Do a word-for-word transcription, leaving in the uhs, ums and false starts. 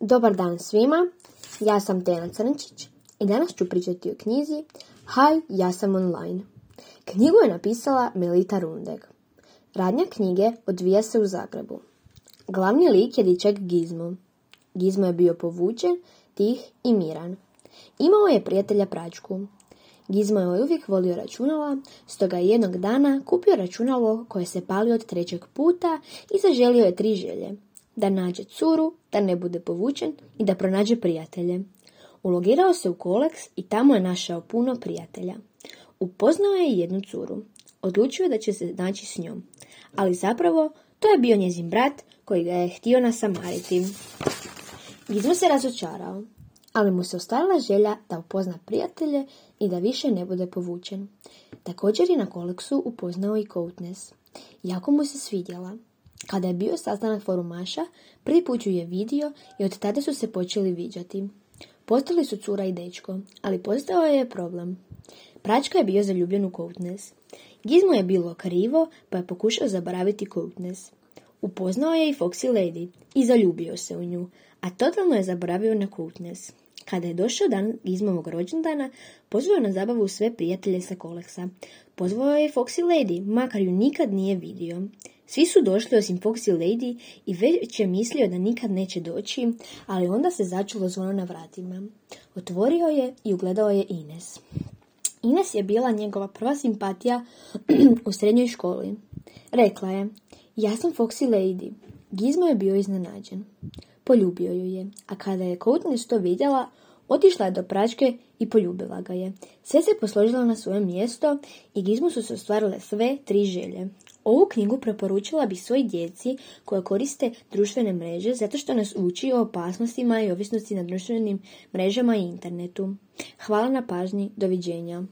Dobar dan svima, ja sam Tena Crnčić i danas ću pričati o knjizi Hi, ja sam online. Knjigu je napisala Melita Rundek. Radnja knjige odvija se u Zagrebu. Glavni lik je dječak Gizmo. Gizmo je bio povučen, tih i miran. Imao je prijatelja Pračku. Gizmo je uvijek volio računala, stoga je jednog dana kupio računalo koje se pali od trećeg puta i zaželio je tri želje. Da nađe curu, da ne bude povučen i da pronađe prijatelje. Ulogirao se u Koleks i tamo je našao puno prijatelja. Upoznao je jednu curu. Odlučio da će se naći s njom. Ali zapravo, to je bio njezin brat koji ga je htio nasamariti. Gizmo se razočarao, ali mu se ostvarila želja da upozna prijatelje i da više ne bude povučen. Također je na Koleksu upoznao i Koutnes. Jako mu se svidjela. Kada je bio sastanak forumaša, prvi put ju je vidio i od tada su se počeli viđati. Postali su cura i dečko, ali postao je problem. Pračka je bio zaljubljen u Koutnes. Gizmo je bilo krivo, pa je pokušao zaboraviti Koutnes. Upoznao je i Foxy Lady i zaljubio se u nju, a totalno je zaboravio na Koutnes. Kada je došao dan Gizmovog rođendana, pozvao je na zabavu sve prijatelje sa Koleksa. Pozvao je Foxy Lady, makar ju nikad nije vidio. Svi su došli osim Foxy Lady i već je mislio da nikad neće doći, ali onda se začulo zvono na vratima. Otvorio je i ugledao je Ines. Ines je bila njegova prva simpatija u srednjoj školi. Rekla je, ja sam Foxy Lady. Gizmo je bio iznenađen. Poljubio ju je, a kada je Koutnes to vidjela, otišla je do Pračke i poljubila ga je. Sve se posložilo na svoje mjesto i Gizmu su se ostvarile sve tri želje. Ovu knjigu preporučila bih svoj djeci koja koriste društvene mreže zato što nas uči o opasnostima i ovisnosti na društvenim mrežama i internetu. Hvala na pažnji, doviđenja.